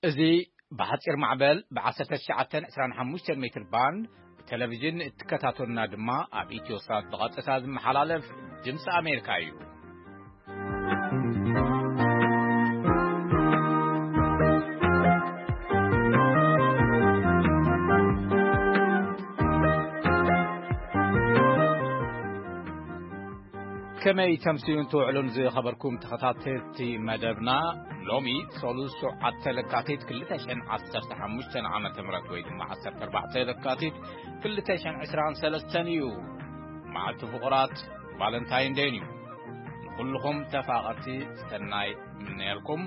እዚ ብሓጺር ማዕበል ብ1925 ሜትር ባንድ ብቴሌቪዥን እትከታተሉና ድማ ኣብ ኢትዮሳት ብቐጥታ ዝመሓላለፍ ድምፂ ኣሜሪካ እዩ። ከመይ ተምስዩን ትውዕሉን ዝኸበርኩም ተኸታተልቲ መደብና፣ ሎሚ ሰሉስ ሸውዓተ ለካቲት ክልተ ሽሕን ዓሰርተ ሓሙሽተን ዓመተ ምህረት ወይ ድማ ዓሰርተ ኣርባዕተ ለካቲት ክልተ ሽሕን ዕስራን ሰለስተን እዩ። መዓልቲ ፍቑራት ቫለንታይን ደይን እዩ። ንኹልኹም ተፋቐርቲ ሰናይ ምነየልኩም።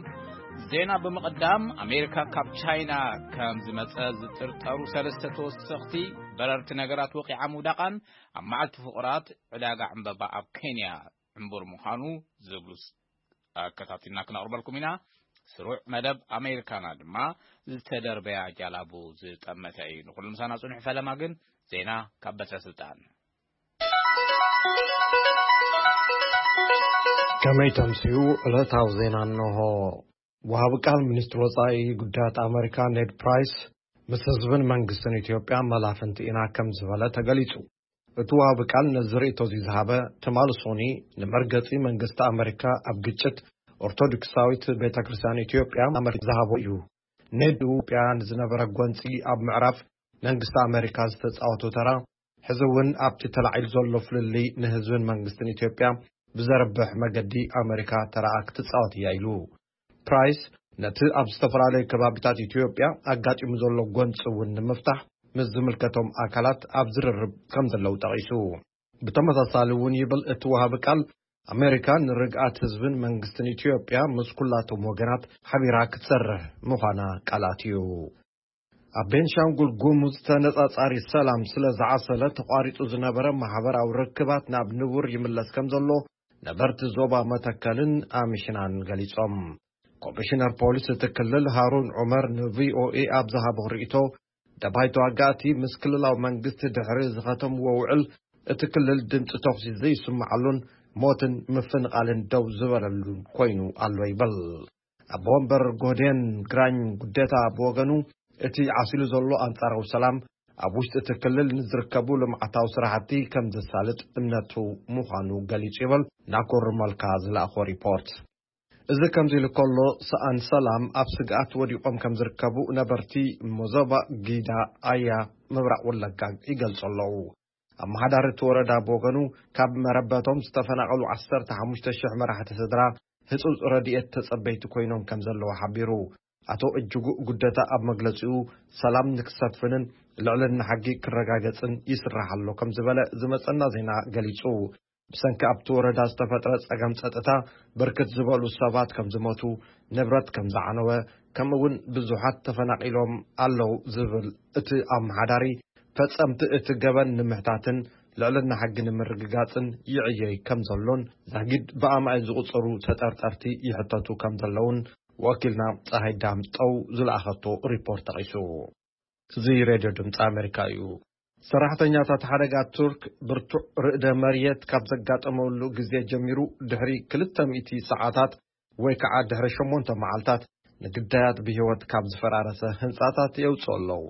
ዜና ብምቕዳም፣ ኣሜሪካ ካብ ቻይና ከም ዝመጸ ዝጥርጠሩ ሰለስተ ተወሰኽቲ በረርቲ ነገራት ወቂዓ ምውዳቓን ኣብ መዓልቲ ፍቑራት ዕዳጋ ዕምበባ ኣብ ኬንያ ዕምቡር ምዃኑ ዝብሉ ስ-፣ ኣከታቲልና ክነቕርበልኩም ኢና። ስሩዕ መደብ ኣሜሪካና ድማ ዝተደርበያ ጃላቡ ዝጠመተ እዩ። ንኹሉ ምሳና ጽኑሕ ፈለማ ግን ዜና ካብ በትረ ስልጣን። ከመይ ተምስዩ ዕለታዊ ዜና እንሆ። ወሃቢ ቃል ሚኒስትሪ ወጻኢ ጉዳያት ኣሜሪካ ኔድ ፕራይስ ምስ ህዝብን መንግስትን ኢትዮጵያ መላፍንቲ ኢና ከም ዝበለ ተገሊጹ። እቲ ወሃቢ ቃል ነዚ ርእይቶ እዚ ዝሃበ ትማሊ ሶኒ ንመርገጺ መንግስቲ ኣሜሪካ ኣብ ግጭት ኦርቶዶክሳዊት ቤተ ክርስቲያን ኢትዮጵያ ኣመልኪቱ ዝሃቦ እዩ። ኔድ ኢትዮጵያ ንዝነበረ ጎንጺ ኣብ ምዕራፍ መንግስቲ ኣሜሪካ ዝተጻወቶ ተራ ሕዚ እውን ኣብቲ ተላዒሉ ዘሎ ፍልልይ ንህዝብን መንግስትን ኢትዮጵያ ብዘርብሕ መገዲ ኣሜሪካ ተራኣ ክትጻወት እያ ኢሉ። ፕራይስ ነቲ ኣብ ዝተፈላለዩ ከባቢታት ኢትዮጵያ ኣጋጢሙ ዘሎ ጎንፂ እውን ንምፍታሕ ምስ ዝምልከቶም ኣካላት ኣብ ዝርርብ ከም ዘለዉ ጠቒሱ። ብተመሳሳሊ እውን ይብል እቲ ወሃቢ ቃል፣ ኣሜሪካ ንርግኣት ህዝብን መንግስትን ኢትዮጵያ ምስ ኩላቶም ወገናት ሓቢራ ክትሰርሕ ምዃና ቃል ኣትዩ። ኣብ ቤንሻንጉል ጉሙዝ ተነጻጻሪ ሰላም ስለ ዝዓሰለ ተቋሪጹ ዝነበረ ማሕበራዊ ርክባት ናብ ንቡር ይምለስ ከም ዘሎ ነበርቲ ዞባ መተከልን ኣምሽናን ገሊጾም። ኮሚሽነር ፖሊስ እቲ ክልል ሃሩን ዑመር ንቪኦኤ ኣብ ዝሃቦ ርእይቶ፣ ደባይ ተዋጋእቲ ምስ ክልላዊ መንግስቲ ድሕሪ ዝኸተምዎ ውዕል እቲ ክልል ድምፂ ተኹሲ ዘይስምዓሉን ሞትን ምፍንቓልን ደው ዝበለሉን ኮይኑ ኣሎ ይብል። ኣቦ ወንበር ጎህዴን ግራኝ ጉደታ ብወገኑ፣ እቲ ዓሲሉ ዘሎ ኣንጻራዊ ሰላም ኣብ ውሽጢ እቲ ክልል ንዝርከቡ ልምዓታዊ ስራሕቲ ከም ዘሳልጥ እምነቱ ምዃኑ ገሊጹ ይብል ናኮር መልካ ዝለኣኾ ሪፖርት። እዚ ከምዚ ኢሉ ከሎ፣ ሰኣን ሰላም ኣብ ስግኣት ወዲቖም ከም ዝርከቡ ነበርቲ ሞዞባ ጊዳ ኣያ ምብራቕ ወለጋ ይገልጹ ኣለዉ። ኣመሓዳሪ እቲ ወረዳ ብወገኑ፣ ካብ መረበቶም ዝተፈናቐሉ ዓሰርተ ሓሙሽተ ሽሕ መራሕቲ ስድራ ህጹጽ ረድኤት ተጸበይቲ ኮይኖም ከም ዘለዉ ሓቢሩ። ኣቶ እጅጉ ጉደታ ኣብ መግለጺኡ፣ ሰላም ንክሰፍንን ልዕልና ሕጊ ክረጋገጽን ይስራሕ ኣሎ ከም ዝበለ ዝመጸና ዜና ገሊጹ። ብሰንኪ ኣብቲ ወረዳ ዝተፈጥረ ጸገም ጸጥታ ብርክት ዝበሉ ሰባት ከም ዝሞቱ፣ ንብረት ከም ዝዓነወ፣ ከምኡ እውን ብዙሓት ተፈናቒሎም ኣለዉ ዝብል እቲ ኣመሓዳሪ፣ ፈጸምቲ እቲ ገበን ንምሕታትን ልዕልና ሕጊ ንምርግጋጽን ይዕየይ ከም ዘሎን፣ ዛጊድ ብኣማኢት ዝቑጸሩ ተጠርጠርቲ ይሕተቱ ከም ዘለውን ወኪልና ጸሃይ ዳምጠው ዝለኣኸቶ ሪፖርት ጠቒሱ። እዚ ሬድዮ ድምፂ ኣሜሪካ እዩ። ሰራሕተኛታት ሓደጋ ቱርክ ብርቱዕ ርእደ መሬት ካብ ዘጋጠመሉ ግዜ ጀሚሩ፣ ድሕሪ ክልተ ሚእቲ ሰዓታት ወይ ከዓ ድሕሪ ሸሞንተ መዓልታት፣ ንግዳያት ብህይወት ካብ ዝፈራረሰ ህንፃታት የውፅኡ ኣለዉ።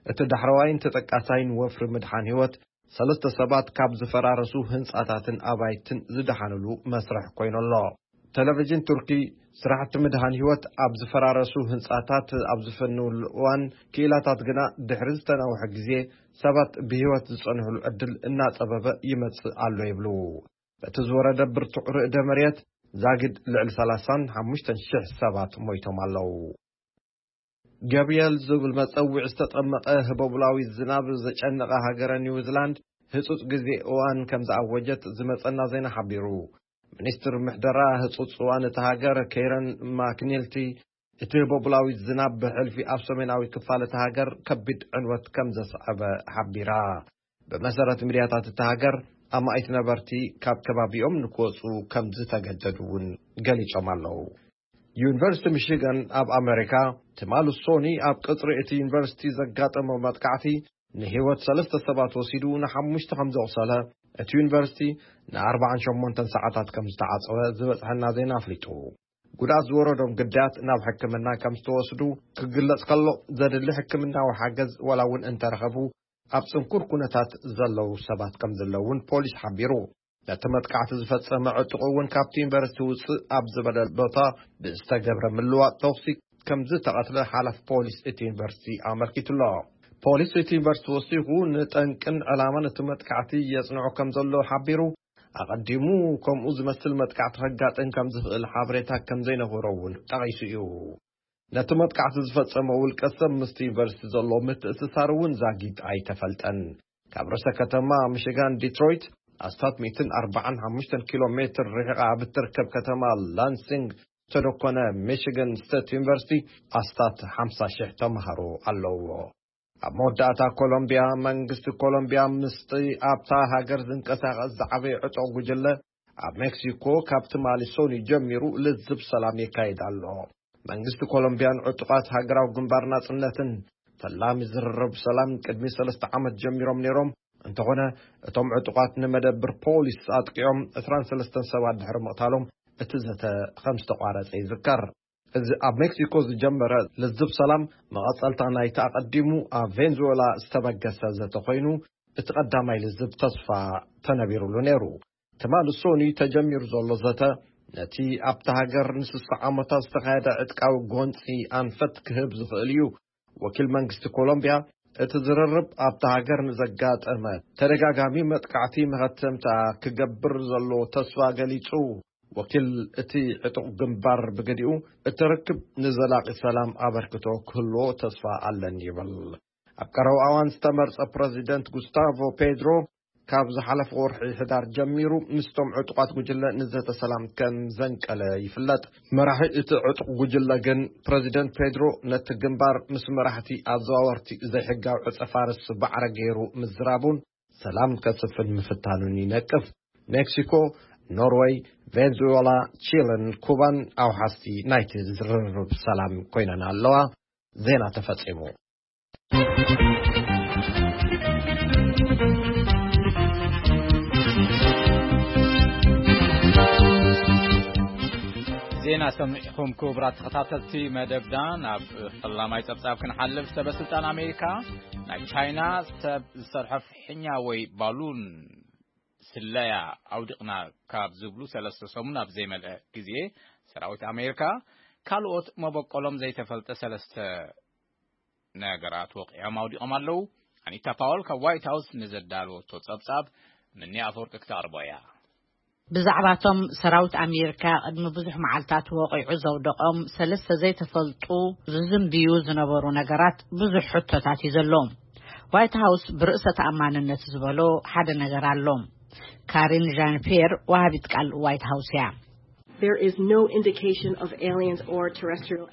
እቲ ዳሕረዋይን ተጠቃሳይን ወፍሪ ምድሓን ህይወት፣ ሰለስተ ሰባት ካብ ዝፈራረሱ ህንፃታትን ኣባይትን ዝደሓንሉ መስርሕ ኮይኑ ኣሎ። ቴሌቪዥን ቱርኪ፣ ስራሕቲ ምድሃን ህይወት ኣብ ዝፈራረሱ ህንጻታት ኣብ ዝፍንውሉ እዋን፣ ክኢላታት ግና ድሕሪ ዝተናውሐ ግዜ ሰባት ብህይወት ዝጸንሕሉ ዕድል እናጸበበ ይመጽእ ኣሎ ይብሉ። በቲ ዝወረደ ብርቱዕ ርእደ መሬት ዛጊድ ልዕሊ ሰላሳን ሓሙሽተን ሽሕ ሰባት ሞይቶም ኣለዉ። ገብርኤል ዝብል መጸውዒ ዝተጠመቐ ህቦብላዊ ዝናብ ዘጨነቐ ሃገረ ኒውዚላንድ ህጹጽ ግዜ እዋን ከም ዝኣወጀት ዝመጸና ዜና ሓቢሩ። ሚኒስትር ምሕደራ ህጹጽ እዋን እታ ሃገር ኬረን ማክኒልቲ፣ እቲ ህቦብላዊ ዝናብ ብሕልፊ ኣብ ሰሜናዊ ክፋል እታ ሃገር ከቢድ ዕንወት ከም ዘስዐበ ሓቢራ። ብመሰረት ሚድያታት እታ ሃገር፣ ኣማኢት ነበርቲ ካብ ከባቢኦም ንክወጹ ከም ዝተገደዱ እውን ገሊጾም ኣለዉ። ዩኒቨርሲቲ ሚሽጋን ኣብ ኣመሪካ ትማሊ ሶኒ ኣብ ቅጽሪ እቲ ዩኒቨርሲቲ ዘጋጠመ መጥቃዕቲ ንህይወት ሰለስተ ሰባት ወሲዱ ንሓሙሽተ ከም ዘቑሰለ፣ እቲ ዩኒቨርሲቲ ንኣርባዓን ሸሞንተን ሰዓታት ከም ዝተዓጸወ ዝበጽሐና ዜና ኣፍሊጡ። ጉድኣት ዝወረዶም ግዳያት ናብ ሕክምና ከም ዝተወስዱ ክግለጽ ከሎ፣ ዘድሊ ሕክምናዊ ሓገዝ ዋላ እውን እንተረኸቡ፣ ኣብ ጽንኩር ኩነታት ዘለዉ ሰባት ከም ዘለዉ እውን ፖሊስ ሓቢሩ። ነቲ መጥቃዕቲ ዝፈጸመ ዕጡቕ እውን ካብቲ ዩኒቨርሲቲ ውጽእ ኣብ ዝበለ ቦታ ብዝተገብረ ምልዋጥ ተኹሲ ከም ዝተቐትለ ሓላፊ ፖሊስ እቲ ዩኒቨርሲቲ ኣመልኪቱ ኣሎ። ፖሊስ እቲ ዩኒቨርሲቲ ወሲኹ፣ ንጠንቅን ዕላማን እቲ መጥቃዕቲ የጽንዖ ከም ዘሎ ሓቢሩ፣ ኣቐዲሙ ከምኡ ዝመስል መጥቃዕቲ ከጋጥም ከም ዝኽእል ሓበሬታ ከም ዘይነበሮ እውን ጠቒሱ እዩ። ነቲ መጥቃዕቲ ዝፈጸመ ውልቀ ሰብ ምስቲ ዩኒቨርሲቲ ዘሎ ምትእስሳር እውን ዛጊት ኣይተፈልጠን። ካብ ርእሰ ከተማ ሚሽጋን ዲትሮይት ኣስታት ሚእትን ኣርባዓን ሓሙሽተን ኪሎ ሜትር ርሒቓ ኣብ እትርከብ ከተማ ላንሲንግ ዝተደኮነ ሚሽጋን ስቴት ዩኒቨርሲቲ ኣስታት ሓምሳ ሽሕ ተምሃሮ ኣለውዎ። ኣብ መወዳእታ ኮሎምቢያ፣ መንግስቲ ኮሎምቢያ ምስቲ ኣብታ ሃገር ዝንቀሳቐስ ዝዓበየ ዕጡቕ ጉጅለ ኣብ ሜክሲኮ ካብ ትማሊ ሰኑይ ጀሚሩ ልዝብ ሰላም የካይድ ኣሎ። መንግስቲ ኮሎምቢያን ዕጡቓት ሃገራዊ ግንባር ናጽነትን ፈላሚ ዝርርብ ሰላም ቅድሚ ሰለስተ ዓመት ጀሚሮም ነይሮም። እንተኾነ፣ እቶም ዕጡቓት ንመደብር ፖሊስ ኣጥቂዖም ዕስራን ሰለስተን ሰባት ድሕሪ ምቕታሎም፣ እቲ ዘተ ከም ዝተቋረጸ ይዝከር። እዚ ኣብ ሜክሲኮ ዝጀመረ ልዝብ ሰላም፣ መቐጸልታ ናይቲ ኣቐዲሙ ኣብ ቬንዙዌላ ዝተበገሰ ዘተ ኮይኑ፣ እቲ ቀዳማይ ልዝብ ተስፋ ተነቢሩሉ ነይሩ። ትማሊ ሰኑይ ተጀሚሩ ዘሎ ዘተ፣ ነቲ ኣብታ ሃገር ንስሳ ዓመታት ዝተኻየደ ዕጥቃዊ ጎንጺ ኣንፈት ክህብ ዝኽእል እዩ። ወኪል መንግስቲ ኮሎምቢያ፣ እቲ ዝርርብ ኣብታ ሃገር ንዘጋጠመ ተደጋጋሚ መጥቃዕቲ መኸተምታ ክገብር ዘሎ ተስፋ ገሊጹ። ወኪል እቲ ዕጡቕ ግንባር ብገዲኡ፣ እቲ ርክብ ንዘላቒ ሰላም ኣበርክቶ ክህልዎ ተስፋ ኣለኒ ይብል። ኣብ ቀረባ እዋን ዝተመርጸ ፕረዚደንት ጉስታቮ ፔድሮ፣ ካብ ዝሓለፈ ወርሒ ሕዳር ጀሚሩ ምስቶም ዕጡቓት ጉጅለ ንዘተ ሰላም ከም ዘንቀለ ይፍለጥ። መራሒ እቲ ዕጡቕ ጉጅለ ግን፣ ፕረዚደንት ፔድሮ ነቲ ግንባር ምስ መራሕቲ ኣዘዋወርቲ ዘይሕጋዊ ዕጸ ፋርስ ባዕረ ገይሩ ምዝራቡን ሰላም ከስፍን ምፍታኑን ይነቅፍ። ሜክሲኮ፣ ኖርወይ፣ ቬንዙዌላ፣ ቺለን ኩባን ኣውሓስቲ ናይቲ ዝርርብ ሰላም ኮይነን ኣለዋ። ዜና ተፈጺሙ። ዜና ሰሚዕኹም ክቡራት ተኸታተልቲ መደብና። ናብ ፈላማይ ጸብጻብ ክንሓልፍ፣ ሰበ ስልጣን ኣሜሪካ ናይ ቻይና ሰብ ዝሰርሖ ፍሕኛ ወይ ባሉን ስለያ ኣውዲቕና ካብ ዝብሉ ሰለስተ ሰሙን ኣብ ዘይመልአ ግዜ፣ ሰራዊት ኣሜሪካ ካልኦት መበቆሎም ዘይተፈልጠ ሰለስተ ነገራት ወቂዖም ኣውዲቖም ኣለዉ። ኣኒታ ፓወል ካብ ዋይት ሃውስ ንዘዳለወቶ ጸብጻብ ምኒ ኣፈወርቂ ክተቕርቦ እያ። ብዛዕባቶም ሰራዊት ኣሜሪካ ቅድሚ ብዙሕ መዓልታት ወቂዑ ዘውደቖም ሰለስተ ዘይተፈልጡ ዝዝንብዩ ዝነበሩ ነገራት ብዙሕ ሕቶታት እዩ ዘሎ። ዋይት ሃውስ ብርእሰ ተኣማንነት ዝበሎ ሓደ ነገር ኣሎ። ካሪን ዣን ፒየር፣ ወሃቢት ቃል ዋይት ሃውስ እያ። There is no indication of aliens or terrestrial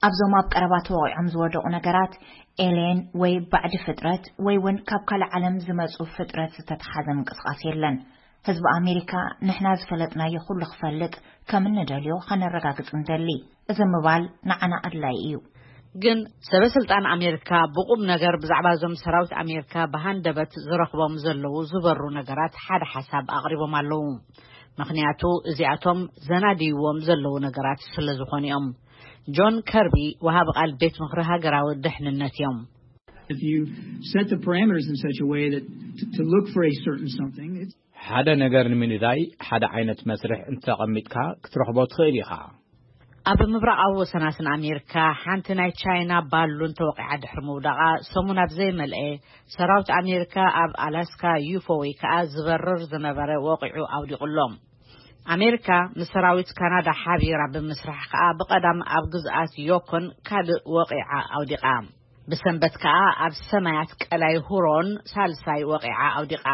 ኣብዞም ኣብ ቀረባ ተወቒዖም ዝወደቑ ነገራት ኤሌን ወይ ባዕዲ ፍጥረት ወይ እውን ካብ ካልእ ዓለም ዝመጹ ፍጥረት ዝተተሓዘ ምንቅስቓስ የለን። ህዝቢ ኣሜሪካ ንሕና ዝፈለጥናዮ ኩሉ ክፈልጥ ከም እንደልዮ ከነረጋግጽ እንደሊ። እዚ ምባል ንዓና ኣድላይ እዩ። ግን ሰበ ስልጣን ኣሜሪካ ብቁም ነገር ብዛዕባ እዞም ሰራዊት ኣሜሪካ ብሃንደበት ዝረኽቦም ዘለዉ ዝበሩ ነገራት ሓደ ሓሳብ ኣቕሪቦም ኣለዉ። ምኽንያቱ እዚኣቶም ዘናድይዎም ዘለዉ ነገራት ስለ ዝኾኑ እዮም። ጆን ከርቢ፣ ወሃቢ ቃል ቤት ምኽሪ ሃገራዊ ድሕንነት እዮም። If you set the parameters in such a way that to, to look for a certain something, it's ሓደ ነገር ንምንዳይ ሓደ ዓይነት መስርሕ እንተቐሚጥካ ክትረኽቦ ትኽእል ኢኻ። ኣብ ምብራቓዊ ወሰናስን ኣሜሪካ ሓንቲ ናይ ቻይና ባሉን ተወቂዓ ድሕሪ ምውዳቓ ሰሙን ኣብ ዘይመልአ፣ ሰራዊት ኣሜሪካ ኣብ ኣላስካ ዩፎ ወይ ከዓ ዝበርር ዝነበረ ወቂዑ ኣውዲቑሎም። ኣሜሪካ ምስ ሰራዊት ካናዳ ሓቢራ ብምስራሕ ከዓ ብቐዳም ኣብ ግዝኣት ዮኮን ካልእ ወቂዓ ኣውዲቓ። ብሰንበት ከዓ ኣብ ሰማያት ቀላይ ሁሮን ሳልሳይ ወቂዓ ኣውዲቓ።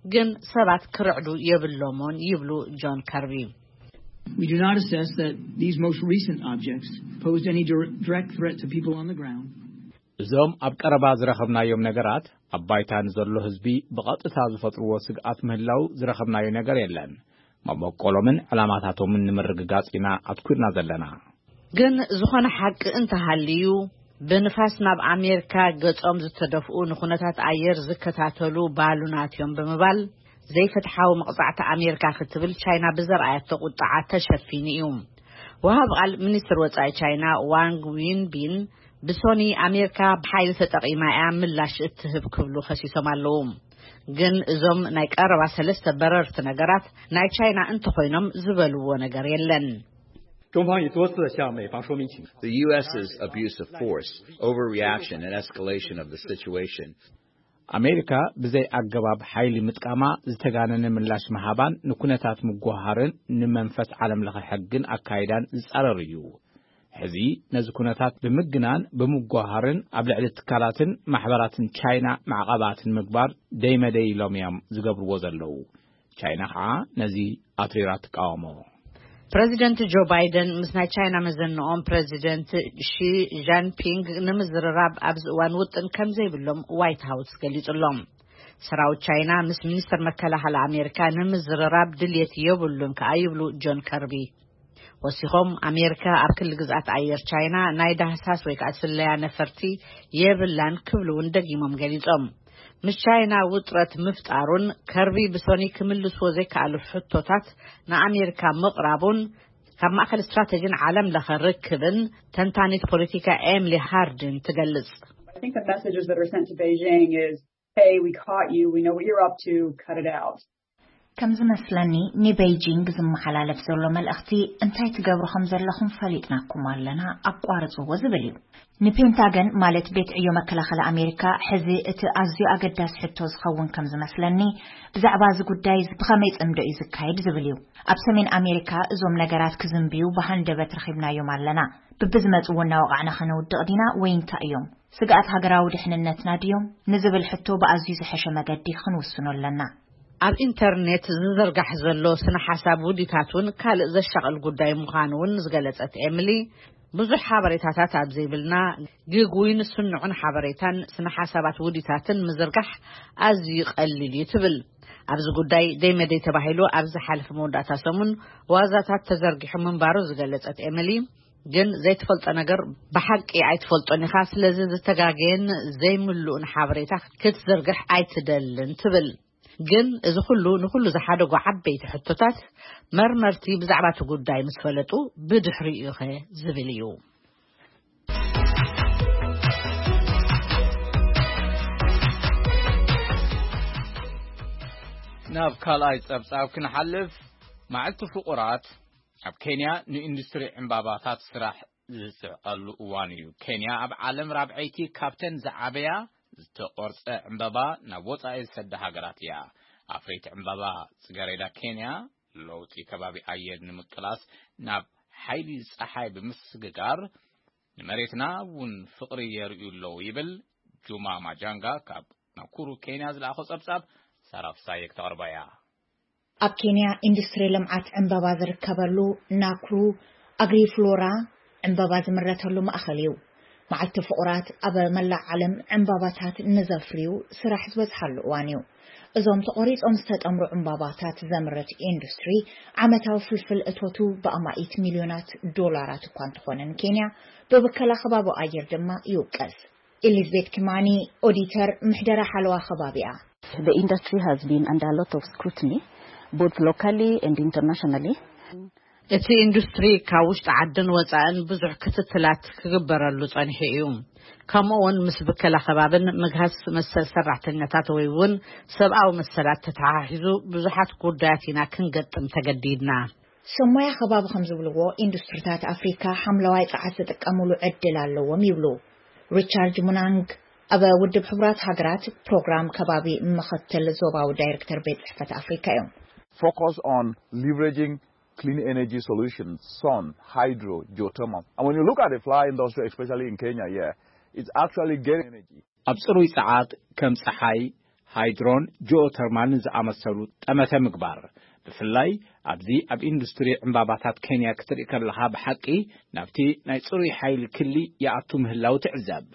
ግን ሰባት ክርዕዱ የብሎምን ይብሉ ጆን ከርቢ። We do not assess that these most recent objects posed any dir- direct threat to people on the ground. እዞም ኣብ ቀረባ ዝረኸብናዮም ነገራት ኣብ ባይታ ንዘሎ ህዝቢ ብቐጥታ ዝፈጥርዎ ስግኣት ምህላው ዝረኸብናዮ ነገር የለን። መበቆሎምን ዕላማታቶምን ንምርግጋጽ ኢና ኣትኩርና ዘለና። ግን ዝኾነ ሓቂ እንተሃልዩ፣ ብንፋስ ናብ ኣሜሪካ ገጾም ዝተደፍኡ ንኹነታት ኣየር ዝከታተሉ ባሉናት እዮም ብምባል፣ ዘይፍትሓዊ መቕጻዕቲ ኣሜሪካ ክትብል ቻይና ብዘርኣያቶ ቁጥዓ ተሸፊኑ እዩ። ወሃብ ቃል ሚኒስትር ወጻኢ ቻይና ዋንግ ዊንቢን፣ ብሶኒ ኣሜሪካ ብሓይሊ ተጠቒማ እያ ምላሽ እትህብ ክብሉ ከሲሶም ኣለዉ። ግን እዞም ናይ ቀረባ ሰለስተ በረርቲ ነገራት ናይ ቻይና እንተኾይኖም ዝበልዎ ነገር የለን። 中方已多次向美方说明情。 The U S's abuse of force, overreaction, and escalation of the situation. ኣሜሪካ ብዘይ ኣገባብ ሓይሊ ምጥቃማ፣ ዝተጋነነ ምላሽ ምሃባን ንኩነታት ምጉሃርን ንመንፈስ ዓለም ለኸ ሕግን ኣካይዳን ዝጻረር እዩ። ሕዚ ነዚ ኩነታት ብምግናን ብምጓሃርን ኣብ ልዕሊ ትካላትን ማሕበራትን ቻይና ማዕቐባትን ምግባር ደይመደይ ኢሎም እዮም ዝገብርዎ ዘለዉ። ቻይና ከዓ ነዚ ኣትሪራ ትቃወሞ። ፕረዚደንት ጆ ባይደን ምስ ናይ ቻይና መዘንኦም ፕረዚደንት ሺ ጃንፒንግ ንምዝርራብ ኣብዚ እዋን ውጥን ከም ዘይብሎም ዋይት ሃውስ ገሊጹሎም። ሰራዊት ቻይና ምስ ሚኒስትር መከላኸሊ ኣሜሪካ ንምዝርራብ ድልየት የብሉን ከኣ ይብሉ ጆን ከርቢ። ወሲኾም ኣሜሪካ ኣብ ክሊ ግዝኣት ኣየር ቻይና ናይ ዳህሳስ ወይ ከዓ ስለያ ነፈርቲ የብላን ክብሉ እውን ደጊሞም ገሊጾም። ምስ ቻይና ውጥረት ምፍጣሩን ከርቢ ብሶኒ ክምልስዎ ዘይከኣሉ ሕቶታት ንኣሜሪካ ምቕራቡን ካብ ማእከል ስትራተጂን ዓለም ለኸ ርክብን ተንታኒት ፖለቲካ ኤምሊ ሃርድን ትገልጽ። I think the messages that are sent to Beijing is, hey, we caught you, we know what you're up to, cut it out. ከም ዝመስለኒ ንቤይጂንግ ዝመሓላለፍ ዘሎ መልእኽቲ እንታይ ትገብሩ ከም ዘለኹም ፈሊጥናኩም ኣለና፣ ኣቋርጽዎ ዝብል እዩ። ንፔንታገን ማለት ቤት ዕዮ መከላኸሊ ኣሜሪካ ሕዚ እቲ ኣዝዩ ኣገዳሲ ሕቶ ዝኸውን ከም ዝመስለኒ ብዛዕባ እዚ ጉዳይ ብኸመይ ጽምዶ እዩ ዝካየድ ዝብል እዩ። ኣብ ሰሜን ኣሜሪካ እዞም ነገራት ክዝንብዩ ብሃንደበት ረኺብናዮም ኣለና። ብብዝመጽዎ እናወቓዕና ከነውድቕ ዲና ወይ እንታይ እዮም? ስግኣት ሃገራዊ ድሕንነትና ድዮም ንዝብል ሕቶ ብኣዝዩ ዝሐሸ መገዲ ክንውስኖ ኣለና። ኣብ ኢንተርኔት ዝዝርጋሕ ዘሎ ስነ ሓሳብ ውዲታት እውን ካልእ ዘሻቕል ጉዳይ ምዃኑ እውን ዝገለጸት ኤምሊ፣ ብዙሕ ሓበሬታታት ኣብ ዘይብልና ግጉይን ስኑዕን ሓበሬታን ስነ ሓሳባት ውዲታትን ምዝርጋሕ ኣዝዩ ቀሊል እዩ ትብል። ኣብዚ ጉዳይ ደይመደይ ተባሂሉ ኣብ ዝሓለፈ መወዳእታ ሰሙን ዋዛታት ተዘርጊሑ ምንባሩ ዝገለጸት ኤምሊ፣ ግን ዘይትፈልጦ ነገር ብሓቂ ኣይትፈልጦን ኢኻ፣ ስለዚ ዝተጋገየን ዘይምሉእን ሓበሬታ ክትዝርግሕ ኣይትደልን ትብል። ግን እዚ ኩሉ ንኩሉ ዝሓደጉ ዓበይቲ ሕቶታት መርመርቲ ብዛዕባ እቲ ጉዳይ ምስ ፈለጡ ብድሕሪኡ ኢኸ ዝብል እዩ። ናብ ካልኣይ ጸብጻብ ክንሓልፍ፣ መዓልቲ ፍቑራት ኣብ ኬንያ ንኢንዱስትሪ ዕምባባታት ስራሕ ዝስዕቐሉ እዋን እዩ። ኬንያ ኣብ ዓለም ራብዐይቲ ካብተን ዝዓበያ ዝተቖርጸ ዕምባባ ናብ ወጻኢ ዝሰዳ ሃገራት እያ። ኣፍረይቲ ዕምባባ ጽገሬዳ ኬንያ ለውጢ ከባቢ ኣየር ንምቅላስ ናብ ሓይሊ ጸሓይ ብምስግጋር ንመሬትና እውን ፍቕሪ የርእዩ ኣለዉ ይብል ጁማ ማጃንጋ ካብ ናኩሩ ኬንያ ዝለኣኾ ጸብጻብ ሳራ ፍሳየ ክተቕርባ እያ። ኣብ ኬንያ ኢንዱስትሪ ልምዓት ዕምባባ ዝርከበሉ ናኩሩ ኣግሪፍሎራ ዕምባባ ዝምረተሉ ማእኸል እዩ። መዓልቲ ፍቑራት ኣብ መላእ ዓለም ዕምባባታት ንዘፍርዩ ስራሕ ዝበዝሓሉ እዋን እዩ። እዞም ተቖሪጾም ዝተጠምሩ ዕምባባታት ዘምርት ኢንዱስትሪ ዓመታዊ ፍልፍል እቶቱ ብኣማኢት ሚልዮናት ዶላራት እኳ እንተኾነ ንኬንያ ብብከላ ከባቢ ኣየር ድማ ይውቀስ። ኤሊዝቤት ኪማኒ ኦዲተር ምሕደራ ሓለዋ ከባቢ እያ። The industry has been under a lot of scrutiny, both locally and internationally. እቲ ኢንዱስትሪ ካብ ውሽጢ ዓድን ወጻእን ብዙሕ ክትትላት ክግበረሉ ጸኒሑ እዩ። ከምኡ እውን ምስ ብከላ ከባብን ምግሃስ መሰል ሰራሕተኛታት ወይ እውን ሰብኣዊ መሰላት ተተሓሒዙ ብዙሓት ጉዳያት ኢና ክንገጥም ተገዲድና። ሰብ ሞያ ከባቢ ከም ዝብልዎ ኢንዱስትሪታት ኣፍሪካ ሓምለዋይ ጸዓት ዝጥቀምሉ ዕድል ኣለዎም ይብሉ። ሪቻርድ ሙናንግ ኣብ ውድብ ሕቡራት ሃገራት ፕሮግራም ከባቢ ምኽትል ዞባዊ ዳይሬክተር ቤት ጽሕፈት ኣፍሪካ እዮም። Focus on leveraging clean energy solutions, sun, hydro, geothermal. And when you look at the flower industry, especially in Kenya, yeah, it's actually getting energy. ኣብ ጽሩይ ጸዓት ከም ጸሓይ፣ ሃይድሮን ጂኦተርማልን ዝኣመሰሉ ጠመተ ምግባር፣ ብፍላይ ኣብዚ ኣብ ኢንዱስትሪ ዕምባባታት ኬንያ ክትርኢ ከለኻ ብሓቂ ናብቲ ናይ ጽሩይ ሓይሊ ክሊ ይኣቱ ምህላው ትዕዘብ።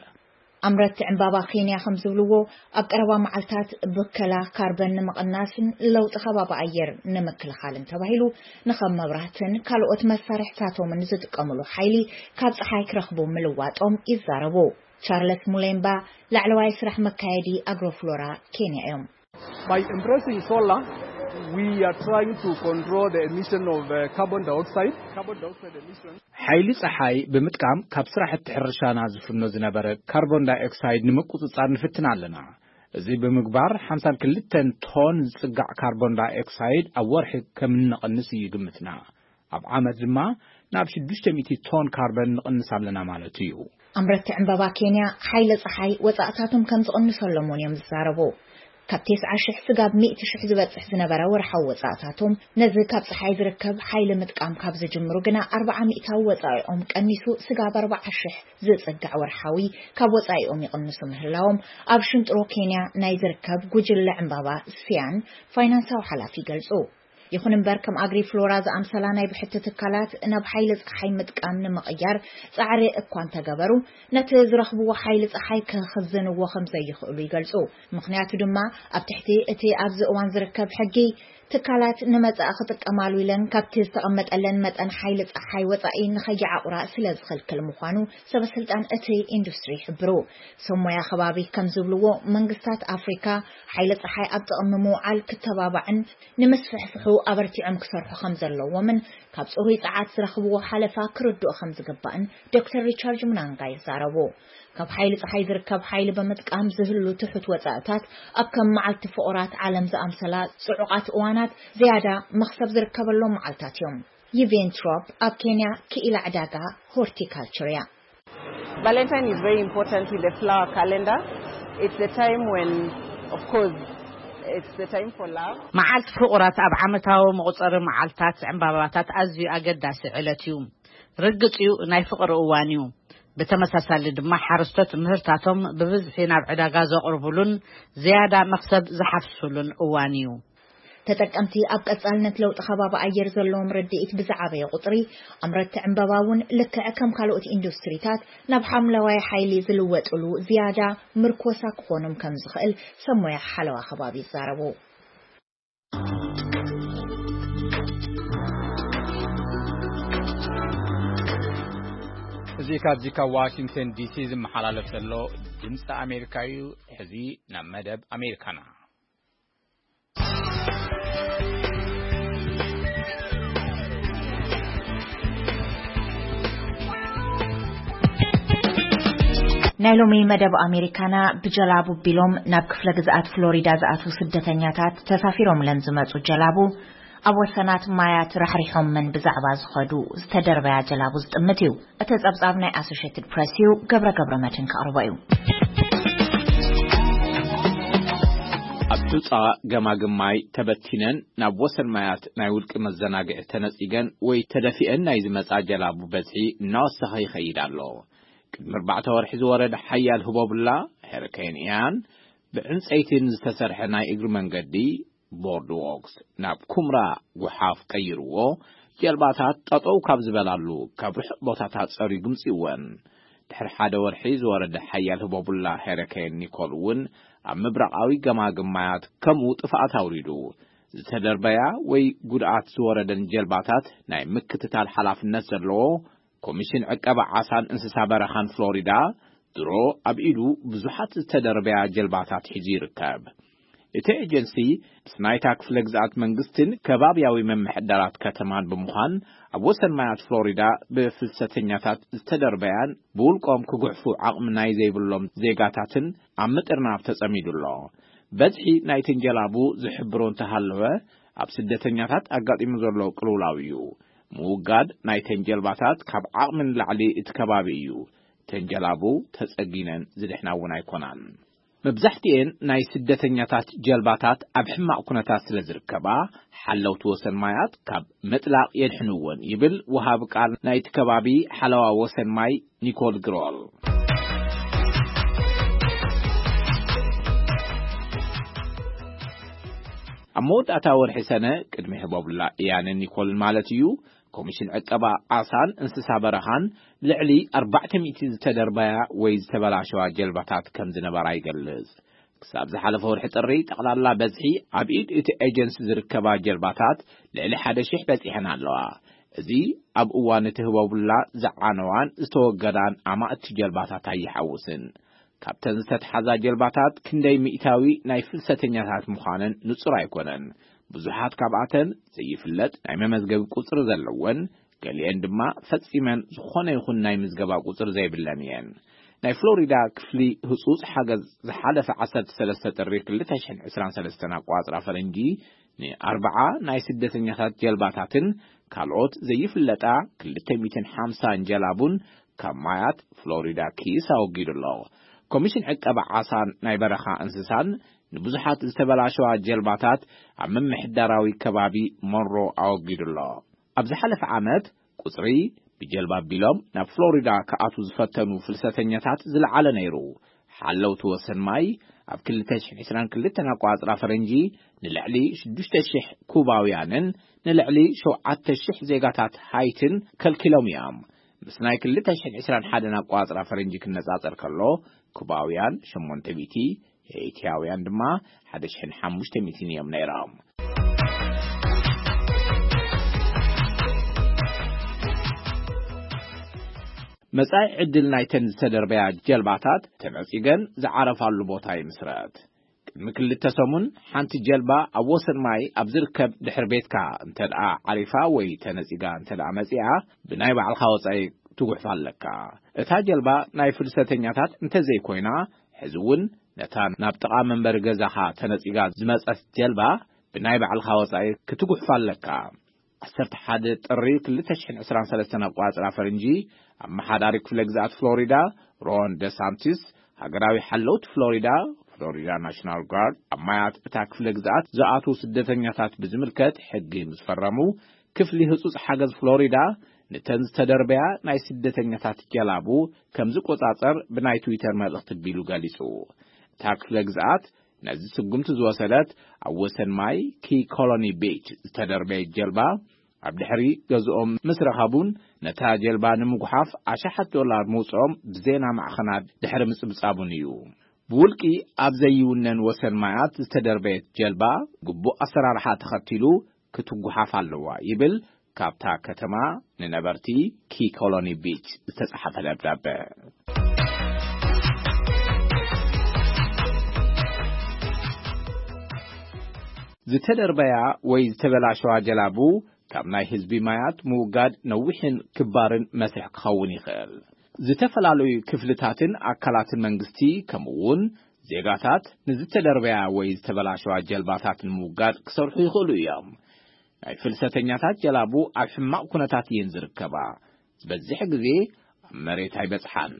ኣምረትቲ ዕምባባ ኬንያ ከም ዝብልዎ ኣብ ቀረባ መዓልታት ብከላ ካርበን ንምቕናስን ለውጢ ከባቢ ኣየር ንምክልኻልን ተባሂሉ ንኸም መብራህትን ካልኦት መሳርሕታቶምን ዝጥቀምሉ ሓይሊ ካብ ጸሓይ ክረኽቡ ምልዋጦም ይዛረቡ። ቻርለስ ሙሌምባ ላዕለዋይ ስራሕ መካየዲ ኣግሮፍሎራ ኬንያ እዮም። By embracing solar, We are trying to control the emission of uh, carbon dioxide. Carbon dioxide emission. ሓይሊ ጸሓይ ብምጥቃም ካብ ስራሕቲ ሕርሻና ዝፍኖ ዝነበረ ካርቦን ዳይኦክሳይድ ንምቁጽጻር ንፍትን ኣለና። እዚ ብምግባር ሓምሳን ክልተን ቶን ዝጽጋዕ ካርቦን ዳይኦክሳይድ ኣብ ወርሒ ከም እንቐንስ እዩ ግምትና። ኣብ ዓመት ድማ ናብ ሽዱሽተ ሚእቲ ቶን ካርበን ንቕንስ ኣለና ማለት እዩ። ኣምረቲ ዕምባባ ኬንያ ሓይሊ ጸሓይ ወጻእታቶም ከም ዝቕንሰሎም እውን እዮም ዝዛረቡ። ካብ ተስዓ ሽሕ ስጋብ ሚእቲ ሽሕ ዝበጽሕ ዝነበረ ወርሓዊ ወጻእታቶም፣ ነዚ ካብ ጸሓይ ዝርከብ ሓይሊ ምጥቃም ካብ ዝጅምሩ ግና ኣርብዓ ሚእታዊ ወጻኢኦም ቀኒሱ ስጋብ ኣርብዓ ሽሕ ዝጽጋዕ ወርሓዊ ካብ ወጻኢኦም ይቕንሱ ምህላዎም ኣብ ሽንጥሮ ኬንያ ናይ ዝርከብ ጉጅለ ዕምባባ ሲያን ፋይናንሳዊ ሓላፊ ይገልጹ። ይኹን እምበር ከም ኣግሪ ፍሎራ ዝኣምሰላ ናይ ብሕቲ ትካላት ናብ ሓይሊ ጸሓይ ምጥቃም ንምቕያር ጻዕሪ እኳ እንተገበሩ፣ ነቲ ዝረኽብዎ ሓይሊ ጸሓይ ክኽዝንዎ ከም ዘይኽእሉ ይገልጹ። ምኽንያቱ ድማ ኣብ ትሕቲ እቲ ኣብዚ እዋን ዝርከብ ሕጊ ትካላት ንመጻኢ ክጥቀማሉ ኢለን ካብቲ ዝተቐመጠለን መጠን ሓይሊ ጸሓይ ወጻኢ ንኸይዓቑራ ስለ ዝኽልክል ምዃኑ ሰበ ስልጣን እቲ ኢንዱስትሪ ይሕብሩ። ሰብ ሞያ ከባቢ ከም ዝብልዎ መንግስታት ኣፍሪካ ሓይሊ ጸሓይ ኣብ ጥቕሚ ምውዓል ክተባባዕን ንምስፍሕፍሑ ኣበርቲዖም ክሰርሑ ከም ዘለዎምን ካብ ጽሩይ ጸዓት ዝረኽብዎ ሓለፋ ክርድኡ ከም ዝግባእን ዶክተር ሪቻርድ ሙናንጋ ይዛረቡ። ካብ ሓይሊ ጸሓይ ዝርከብ ሓይሊ ብምጥቃም ዝህሉ ትሑት ወጻእታት ኣብ ከም መዓልቲ ፍቑራት ዓለም ዝኣምሰላ ጽዑቓት እዋናት ዝያዳ መኽሰብ ዝርከበሎም መዓልታት እዮም። ይቬን ትሮፕ ኣብ ኬንያ ክኢላ ዕዳጋ ሆርቲካልቸር እያ። Valentine is very important in the flower calendar. It's the time when, of course, it's the time for love. መዓልቲ ፍቑራት ኣብ ዓመታዊ መቑጸሪ መዓልታት ዕምባባታት ኣዝዩ ኣገዳሲ ዕለት እዩ። ርግጽ እዩ፣ ናይ ፍቕሪ እዋን እዩ። ብተመሳሳሊ ድማ ሓረስቶት ምህርታቶም ብብዝሒ ናብ ዕዳጋ ዘቕርቡሉን ዝያዳ መኽሰብ ዝሓፍሱሉን እዋን እዩ። ተጠቀምቲ ኣብ ቀጻልነት ለውጢ ከባቢ ኣየር ዘለዎም ርድኢት ብዝዓበየ ቁጽሪ፣ ኣምረቲ ዕምባባ እውን ልክዕ ከም ካልኦት ኢንዱስትሪታት ናብ ሓምለዋይ ሓይሊ ዝልወጥሉ ዝያዳ ምርኮሳ ክኾኖም ከም ዝኽእል ሰብ ሞያ ሓለዋ ከባቢ ይዛረቡ። እዚ ካብዚ ካብ ዋሽንግተን ዲሲ ዝመሓላለፍ ዘሎ ድምፂ ኣሜሪካ እዩ። ሕዚ ናብ መደብ ኣሜሪካና። ናይ ሎሚ መደብ ኣሜሪካና ብጀላቡ ቢሎም ናብ ክፍለ ግዝኣት ፍሎሪዳ ዝኣትዉ ስደተኛታት ተሳፊሮምለን ዝመጹ ጀላቡ ኣብ ወሰናት ማያት ራሕሪሖምን ብዛዕባ ዝኸዱ ዝተደርበያ ጀላቡ ዝጥምት እዩ። እቲ ጸብጻብ ናይ ኣሶሼትድ ፕሬስ እዩ። ገብረ ገብረ መድህን ከቕርቦ እዩ። ኣብ ሑጻ ገማግም ማይ ተበቲነን ናብ ወሰን ማያት ናይ ውልቂ መዘናግዒ ተነጺገን ወይ ተደፊአን ናይ ዝመጻ ጀላቡ በዝሒ እናወሰኸ ይኸይድ ኣሎ። ቅድሚ ኣርባዕተ ወርሒ ዝወረደ ሓያል ህቦብላ ሄሪኬን ኢያን ብዕንጸይትን ዝተሰርሐ ናይ እግሪ መንገዲ ቦርድ ዎክስ ናብ ኩምራ ጉሓፍ ቀይርዎ። ጀልባታት ጠጠው ካብ ዝበላሉ ካብ ርሑቕ ቦታታት ጸሪጉ ምጽእወን። ድሕሪ ሓደ ወርሒ ዝወረደ ሓያል ህቦብላ ሄሪኬን ኒኮል እውን ኣብ ምብራቓዊ ገማግም ማያት ከምኡ ጥፍኣት ኣውሪዱ። ዝተደርበያ ወይ ጉድኣት ዝወረደን ጀልባታት ናይ ምክትታል ሓላፍነት ዘለዎ ኮሚሽን ዕቀባ ዓሳን እንስሳ በረኻን ፍሎሪዳ ድሮ ኣብ ኢዱ ብዙሓት ዝተደርበያ ጀልባታት ሒዙ ይርከብ። እቲ ኤጀንሲ ምስ ናይታ ክፍለ ግዝኣት መንግስትን ከባብያዊ ምምሕዳራት ከተማን ብምዃን ኣብ ወሰን ማያት ፍሎሪዳ ብፍልሰተኛታት ዝተደርበያን ብውልቆም ክጉሕፉ ዓቕሚ ናይ ዘይብሎም ዜጋታትን ኣብ ምጥርናፍ ተጸሚዱ ኣሎ። በዝሒ ናይተን ጀላቡ ዝሕብሮ እንተሃለወ ኣብ ስደተኛታት ኣጋጢሙ ዘሎ ቅልውላው እዩ። ምውጋድ ናይተን ጀልባታት ካብ ዓቕሚ ንላዕሊ እቲ ከባቢ እዩ። ተን ጀላቡ ተጸጊነን ዝድሕና እውን ኣይኮናን። መብዛሕትኤን ናይ ስደተኛታት ጀልባታት ኣብ ሕማቕ ኩነታት ስለ ዝርከባ ሓለውቲ ወሰን ማያት ካብ ምጥላቕ የድሕንወን ይብል ወሃቢ ቃል ናይቲ ከባቢ ሓለዋ ወሰን ማይ ኒኮል ግሮል። ኣብ መወዳእታ ወርሒ ሰነ ቅድሚ ህቦብላ ኢያንን ኒኮልን ማለት እዩ፣ ኮሚሽን ዕቀባ ዓሳን እንስሳ በረኻን ልዕሊ ኣርባዕተ ሚእቲ ዝተደርበያ ወይ ዝተበላሸዋ ጀልባታት ከም ዝነበራ ይገልጽ። ክሳብ ዝሓለፈ ወርሒ ጥሪ ጠቕላላ በዝሒ ኣብ ኢድ እቲ ኤጀንሲ ዝርከባ ጀልባታት ልዕሊ ሓደ ሺሕ በጺሐን ኣለዋ። እዚ ኣብ እዋን እቲ ህቦብላ ዝዓነዋን ዝተወገዳን ኣማእቲ ጀልባታት ኣይሓውስን። ካብተን ዝተትሓዛ ጀልባታት ክንደይ ሚእታዊ ናይ ፍልሰተኛታት ምዃነን ንጹር ኣይኮነን። ብዙሓት ካብኣተን ዘይፍለጥ ናይ መመዝገቢ ቁጽሪ ዘለወን፣ ገሊአን ድማ ፈጺመን ዝኾነ ይኹን ናይ ምዝገባ ቁጽሪ ዘይብለን እየን። ናይ ፍሎሪዳ ክፍሊ ህጹጽ ሓገዝ ዝሓለፈ ዓሰርተ ሰለስተ ጥሪ ክልተ ሽሕን ዕስራን ሰለስተን ኣቋጽራ ፈረንጂ ንኣርብዓ ናይ ስደተኛታት ጀልባታትን ካልኦት ዘይፍለጣ ክልተ ሚእትን ሓምሳን ጀላቡን ካብ ማያት ፍሎሪዳ ኪስ ኣወጊዱ ኣሎ። ኮሚሽን ዕቀባ ዓሳን ናይ በረኻ እንስሳን ንብዙሓት ዝተበላሸዋ ጀልባታት ኣብ ምምሕዳራዊ ከባቢ ሞንሮ ኣወጊዱ ኣሎ። ኣብ ዝሓለፈ ዓመት ቁጽሪ ብጀልባ ኣቢሎም ናብ ፍሎሪዳ ክኣትዉ ዝፈተኑ ፍልሰተኛታት ዝለዓለ ነይሩ። ሓለውቲ ወሰን ማይ ኣብ ክልተ ሽሕን ዕስራን ክልተን ኣቋጽራ ፈረንጂ ንልዕሊ ሽዱሽተ ሽሕ ኩባውያንን ንልዕሊ ሸውዓተ ሽሕ ዜጋታት ሃይትን ከልኪሎም እዮም። ምስ ናይ ክልተ ሽሕን ዕስራን ሓደን ኣቋጽራ ፈረንጂ ክነጻጸር ከሎ፣ ኩባውያን ሸሞንተ ሚእቲ፣ ሄይቲያውያን ድማ ሓደ ሽሕን ሓሙሽተ ሚእትን እዮም ነይሮም። መጻኢ ዕድል ናይተን ዝተደርበያ ጀልባታት ተነጺገን ዝዓረፋሉ ቦታ ይምስረት። ቅድሚ ክልተ ሰሙን ሓንቲ ጀልባ ኣብ ወሰን ማይ ኣብ ዝርከብ ድሕሪ ቤትካ እንተ ደኣ ዓሪፋ ወይ ተነጺጋ እንተ ደኣ መጺኣ፣ ብናይ ባዕልኻ ወጻኢ ትጉሕፋ ኣለካ። እታ ጀልባ ናይ ፍልሰተኛታት እንተ ዘይኮይና፣ ሕዚ እውን ነታ ናብ ጥቓ መንበሪ ገዛኻ ተነጺጋ ዝመጸት ጀልባ ብናይ ባዕልኻ ወጻኢ ክትጉሕፋ ኣለካ። ዓሰርተ ሓደ ጥሪ ክልተ ሽሕን ዕስራን ሰለስተን ኣቋጽራ ፈረንጂ፣ ኣመሓዳሪ ክፍለ ግዝኣት ፍሎሪዳ ሮን ደሳንቲስ፣ ሃገራዊ ሓለውቲ ፍሎሪዳ፣ ፍሎሪዳ ናሽናል ጋርድ፣ ኣብ ማያት እታ ክፍለ ግዝኣት ዝኣትዉ ስደተኛታት ብዝምልከት ሕጊ ምስ ፈረሙ፣ ክፍሊ ህጹጽ ሓገዝ ፍሎሪዳ ነተን ዝተደርበያ ናይ ስደተኛታት ጀላቡ ከም ዝቆጻጸር ብናይ ትዊተር መልእኽቲ ቢሉ ገሊጹ። እታ ክፍለ ግዝኣት ነዚ ስጉምቲ ዝወሰደት፣ ኣብ ወሰን ማይ ኪ ኮሎኒ ቢች ዝተደርበየት ጀልባ ኣብ ድሕሪ ገዝኦም ምስ ረኸቡን ነታ ጀልባ ንምጉሓፍ ኣሽሓት ዶላር ምውፅኦም ብዜና ማዕኸናት ድሕሪ ምጽብጻቡን እዩ። ብውልቂ ኣብ ዘይውነን ወሰን ማያት ዝተደርበየት ጀልባ ግቡእ ኣሰራርሓ ተኸቲሉ ክትጉሓፍ ኣለዋ ይብል ካብታ ከተማ ንነበርቲ ኪ ኮሎኒ ቢች ዝተጻሕፈ ደብዳበ። ዝተደርበያ ወይ ዝተበላሸዋ ጀላቡ ካብ ናይ ህዝቢ ማያት ምውጋድ ነዊሕን ክባርን መስርሕ ክኸውን ይኽእል። ዝተፈላለዩ ክፍልታትን ኣካላትን መንግስቲ፣ ከምኡ እውን ዜጋታት፣ ንዝተደርበያ ወይ ዝተበላሸዋ ጀልባታት ንምውጋድ ክሰርሑ ይኽእሉ እዮም። ናይ ፍልሰተኛታት ጀላቡ ኣብ ሕማቕ ኩነታት እየን ዝርከባ። ዝበዝሕ ግዜ ኣብ መሬት ኣይበጽሓን።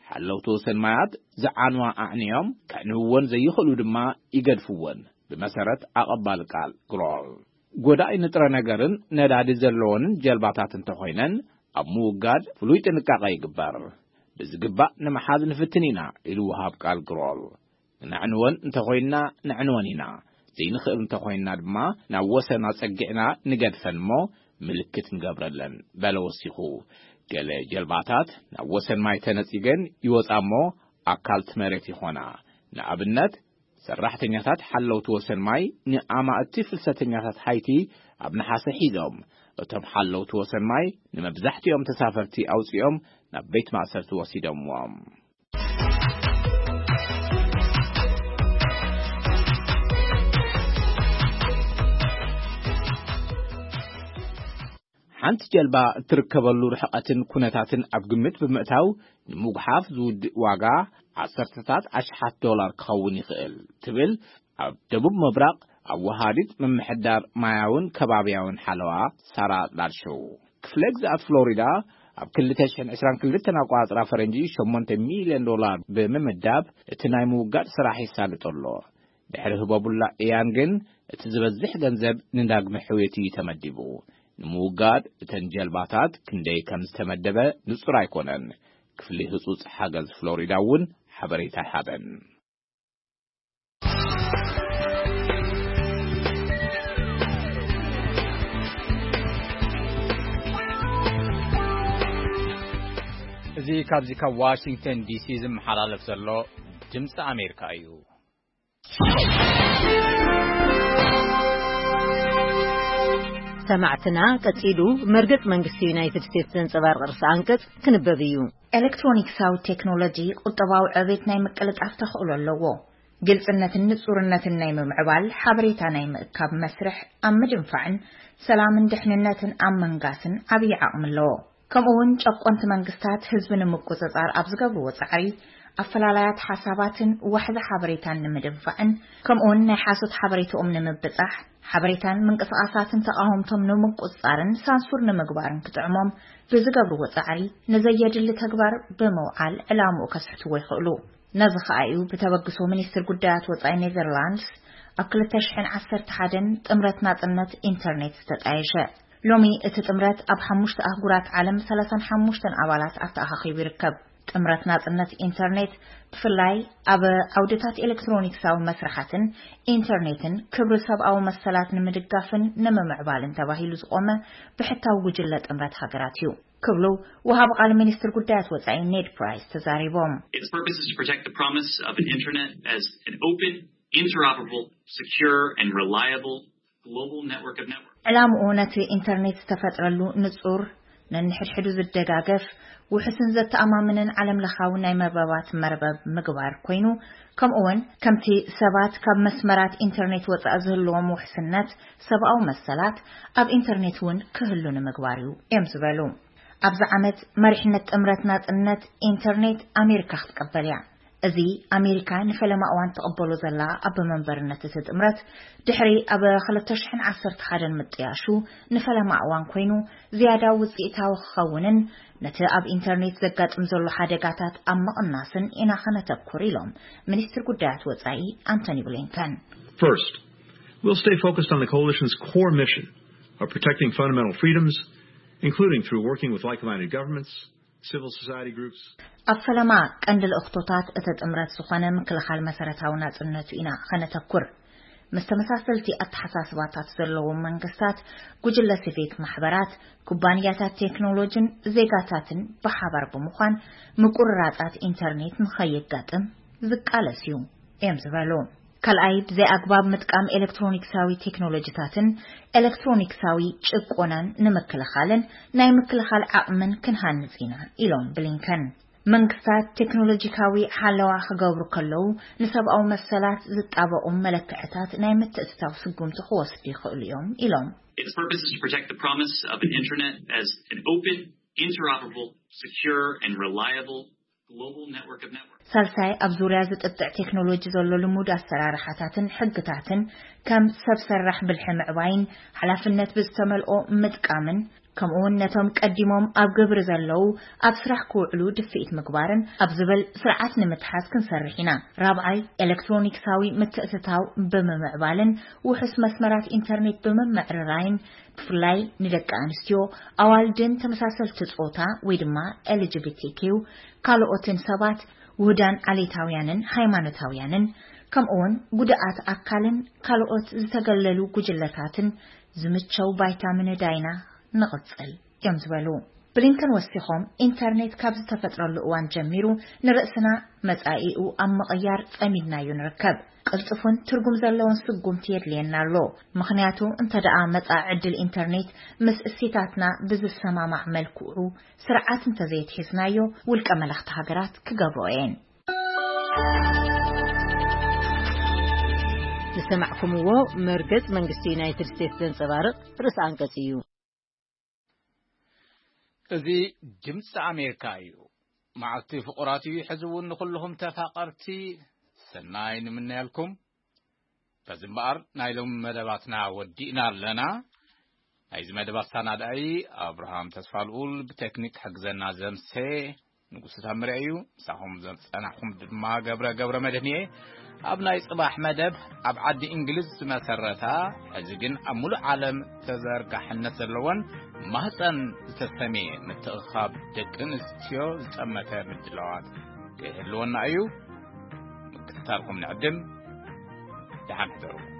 ሓለውቲ ወሰን ማያት ዝዓንዋ ኣዕንዮም፣ ከዕንውወን ዘይኽእሉ ድማ ይገድፍወን፣ ብመሰረት ኣቐባሊ ቃል ግሮል። ጎዳኢ ንጥረ ነገርን ነዳዲ ዘለወንን ጀልባታት እንተኾይነን፣ ኣብ ምውጋድ ፍሉይ ጥንቃቐ ይግበር። ብዝግባእ ንምሓዝ ንፍትን ኢና፣ ኢሉ ወሃብ ቃል ግሮል። ነዕንወን እንተኾይንና፣ ነዕንወን ኢና። ዘይንኽእል እንተኾይንና ድማ፣ ናብ ወሰን ኣጸጊዕና ንገድፈን እሞ፣ ምልክት ንገብረለን፣ በለ ወሲኹ። ገለ ጀልባታት ናብ ወሰን ማይ ተነጺገን ይወጻ እሞ፣ ኣካልቲ መሬት ይኾና። ንኣብነት፣ ሰራሕተኛታት ሓለውቲ ወሰን ማይ ንኣማእቲ ፍልሰተኛታት ሃይቲ ኣብ ነሓሰ ሒዞም፣ እቶም ሓለውቲ ወሰን ማይ ንመብዛሕትኦም ተሳፈርቲ ኣውጺኦም ናብ ቤት ማእሰርቲ ወሲዶምዎም። ሓንቲ ጀልባ እትርከበሉ ርሕቐትን ኩነታትን ኣብ ግምት ብምእታው፣ ንምጉሓፍ ዝውድእ ዋጋ ዓሰርተታት ኣሽሓት ዶላር ክኸውን ይኽእል፣ ትብል ኣብ ደቡብ ምብራቕ ኣወሃዲት ምምሕዳር ማያውን ከባብያውን ሓለዋ ሳራ ላድሾው። ክፍለ ግዝኣት ፍሎሪዳ ኣብ ክልተ ሽሕን ዕስራን ክልተን ኣቋጽራ ፈረንጂ ሸሞንተ ሚልዮን ዶላር ብምምዳብ፣ እቲ ናይ ምውጋድ ስራሕ ይሳልጥ ኣሎ። ድሕሪ ህቦቡላ እያን ግን፣ እቲ ዝበዝሕ ገንዘብ ንዳግመ ሕውየት እዩ ተመዲቡ። ንምውጋድ እተን ጀልባታት ክንደይ ከም ዝተመደበ ንጹር ኣይኮነን። ክፍሊ ህጹጽ ሓገዝ ፍሎሪዳ እውን ሓበሬታ ኣይሃበን። እዚ ካብዚ ካብ ዋሽንግተን ዲሲ ዝመሓላለፍ ዘሎ ድምፂ ኣሜሪካ እዩ። ሰማዕትና፣ ቀጺሉ መርገጽ መንግስቲ ዩናይትድ ስቴትስ ዘንጸባርቕ ርእሰ ኣንቀጽ ክንበብ እዩ። ኤሌክትሮኒክሳዊ ቴክኖሎጂ ቁጠባዊ ዕቤት ናይ ምቅልጣፍ ተኽእሎ ኣለዎ። ግልጽነትን ንጹርነትን ናይ ምምዕባል ሓበሬታ ናይ ምእካብ መስርሕ ኣብ ምድንፋዕን ሰላምን ድሕንነትን ኣብ መንጋስን ዓብዪ ዓቕሚ ኣለዎ። ከምኡ እውን ጨቆንቲ መንግስታት ህዝቢ ንምቁጽጻር ኣብ ዝገብርዎ ጻዕሪ ኣፈላላያት ሓሳባትን ዋሕዚ ሓበሬታን ንምድንፋዕን ከምኡ እውን ናይ ሓሶት ሓበሬታኦም ንምብጻሕ ሓበሬታን ምንቅስቓሳትን ተቓወምቶም ንምቁጽጻርን ሳንሱር ንምግባርን ክጥዕሞም ብዝገብርዎ ጻዕሪ ንዘየድሊ ተግባር ብምውዓል ዕላምኡ ከስሕትዎ ይኽእሉ። ነዚ ከኣ እዩ ብተበግሶ ሚኒስትር ጉዳያት ወጻኢ ኔዘርላንድስ ኣብ ክልተ ሽሕን ዓሰርተ ሓደን ጥምረት ናጽነት ኢንተርኔት ዝተጣየሸ። ሎሚ እቲ ጥምረት ኣብ ሓሙሽተ ኣህጉራት ዓለም ሰላሳን ሓሙሽተን ኣባላት ኣተኣኻኺቡ ይርከብ። ጥምረት ናጽነት ኢንተርኔት ብፍላይ ኣብ ዓውድታት ኤሌክትሮኒክሳዊ መስርሓትን ኢንተርኔትን ክብሪ ሰብኣዊ መሰላት ንምድጋፍን ንምምዕባልን ተባሂሉ ዝቖመ ብሕታዊ ጉጅለ ጥምረት ሃገራት እዩ ክብሉ ወሃቢ ቃል ሚኒስትር ጉዳያት ወጻኢ ኔድ ፕራይስ ተዛሪቦም። Its purpose is to protect the promise of an internet as an open, interoperable, secure, and reliable global network of networks. ዕላምኡ ነቲ ኢንተርኔት ዝተፈጥረሉ ንጹር፣ ነንሕድሕዱ ዝደጋገፍ፣ ውሑስን ዘተኣማምንን ዓለም ለኻዊ ናይ መርበባት መርበብ ምግባር ኮይኑ፣ ከምኡ እውን ከምቲ ሰባት ካብ መስመራት ኢንተርኔት ወጻኢ ዝህልዎም ውሕስነት ሰብኣዊ መሰላት ኣብ ኢንተርኔት እውን ክህሉ ንምግባር እዩ እዮም ዝበሉ። ኣብዚ ዓመት መሪሕነት ጥምረት ናጽነት ኢንተርኔት ኣሜሪካ ክትቀበል እያ። እዚ ኣሜሪካ ንፈለማ እዋን ትቕበሎ ዘላ ኣብ መንበርነት እቲ ጥምረት ድሕሪ ኣብ ክልተ ሽሕን ዓሰርተ ሓደን ምጥያሹ ንፈለማ እዋን ኮይኑ ዝያዳ ውጽኢታዊ ክኸውንን ነቲ ኣብ ኢንተርኔት ዘጋጥም ዘሎ ሓደጋታት ኣብ ምቕናስን ኢና ከነተኩር ኢሎም ሚኒስትር ጉዳያት ወጻኢ ኣንቶኒ ብሊንከን። First, we'll stay focused on the coalition's core mission of protecting fundamental freedoms, including through working with like-minded governments, civil society groups. ኣብ ፈለማ ቀንዲ ልእኽቶታት እቲ ጥምረት ዝኾነ ምክልኻል መሰረታዊ ናጽነቱ ኢና ከነተኩር። ምስ ተመሳሰልቲ ኣተሓሳስባታት ዘለዎም መንግስታት፣ ጉጅለ ሲቪክ ማሕበራት፣ ኩባንያታት ቴክኖሎጂን ዜጋታትን ብሓባር ብምዃን ምቁርራጻት ኢንተርኔት ንኸየጋጥም ዝቃለስ እዩ እዮም ዝበሉ። ካልኣይ፣ ብዘይ ኣግባብ ምጥቃም ኤሌክትሮኒክሳዊ ቴክኖሎጂታትን ኤሌክትሮኒክሳዊ ጭቆናን ንምክልኻልን ናይ ምክልኻል ዓቕምን ክንሃንጽ ኢና ኢሎም ብሊንከን። መንግስታት ቴክኖሎጂካዊ ሓለዋ ክገብሩ ከለዉ ንሰብኣዊ መሰላት ዝጣበቑ መለክዕታት ናይ ምትእትታው ስጉምቲ ክወስዱ ይኽእሉ እዮም ኢሎም። Its purpose is to protect the promise of an internet as an open, interoperable, secure, and reliable global network of networks. ሳልሳይ፣ ኣብ ዙርያ ዝጥጥዕ ቴክኖሎጂ ዘሎ ልሙድ ኣሰራርሓታትን ሕግታትን ከም ሰብ ሰራሕ ብልሒ ምዕባይን ሓላፍነት ብዝተመልኦ ምጥቃምን ከምኡውን ነቶም ቀዲሞም ኣብ ግብሪ ዘለዉ ኣብ ስራሕ ክውዕሉ ድፍኢት ምግባርን ኣብ ዝብል ስርዓት ንምትሓዝ ክንሰርሕ ኢና። ራብዓይ፣ ኤሌክትሮኒክሳዊ ምትእትታው ብምምዕባልን ውሑስ መስመራት ኢንተርኔት ብምምዕርራይን ብፍላይ ንደቂ ኣንስትዮ ኣዋልድን ተመሳሰልቲ ጾታ ወይ ድማ ኤልጂቢቲኪው ካልኦትን ሰባት ውህዳን ዓሌታውያንን ሃይማኖታውያንን ከምኡውን ጉድኣት ኣካልን ካልኦት ዝተገለሉ ጉጅለታትን ዝምቸው ባይታ ምንዳይና ንቕጽል እዮም ዝበሉ። ብሊንከን ወሲኾም ኢንተርኔት ካብ ዝተፈጥረሉ እዋን ጀሚሩ ንርእስና መጻኢኡ ኣብ ምቕያር ጸሚድናዮ ንርከብ። ቅልጥፉን ትርጉም ዘለዎን ስጉምቲ የድልየና ኣሎ። ምኽንያቱ እንተ ደኣ መጻኢ ዕድል ኢንተርኔት ምስ እሴታትና ብዝሰማማዕ መልክዑ ስርዓት እንተዘየትሒዝናዮ ውልቀ መላኽቲ ሃገራት ክገብርኦ እየን። ዝሰማዕኩምዎ መርገጽ መንግስቲ ዩናይትድ ስቴትስ ዘንጸባርቕ ርእሰ ኣንቀጽ እዩ። እዚ ድምፂ ኣሜሪካ እዩ። መዓልቲ ፍቑራት እዩ። ሕዚ እውን ንኹልኹም ተፋቐርቲ ሰናይ ንምነየልኩም። በዚ እምበኣር ናይ ሎሚ መደባትና ወዲእና ኣለና። ናይዚ መደብ ኣሰናዳኢ ኣብርሃም ተስፋልኡል፣ ብቴክኒክ ክሕግዘና ዘምሴ ንጉሱ ታምረ እዩ። ምሳኹም ዝጸናሕኩም ድማ ገብረ ገብረ መድህን እየ። ኣብ ናይ ጽባሕ መደብ ኣብ ዓዲ እንግሊዝ ዝመሰረታ፣ ሕዚ ግን ኣብ ሙሉእ ዓለም ተዘርጋሕነት ዘለወን ማህፀን ዝተሰምየ ምትእኻብ ደቂ ኣንስትዮ ዝጠመተ ምድላዋት ክህልወና እዩ። ምክትታልኩም ንዕድም። ደሓን ሕደሩ።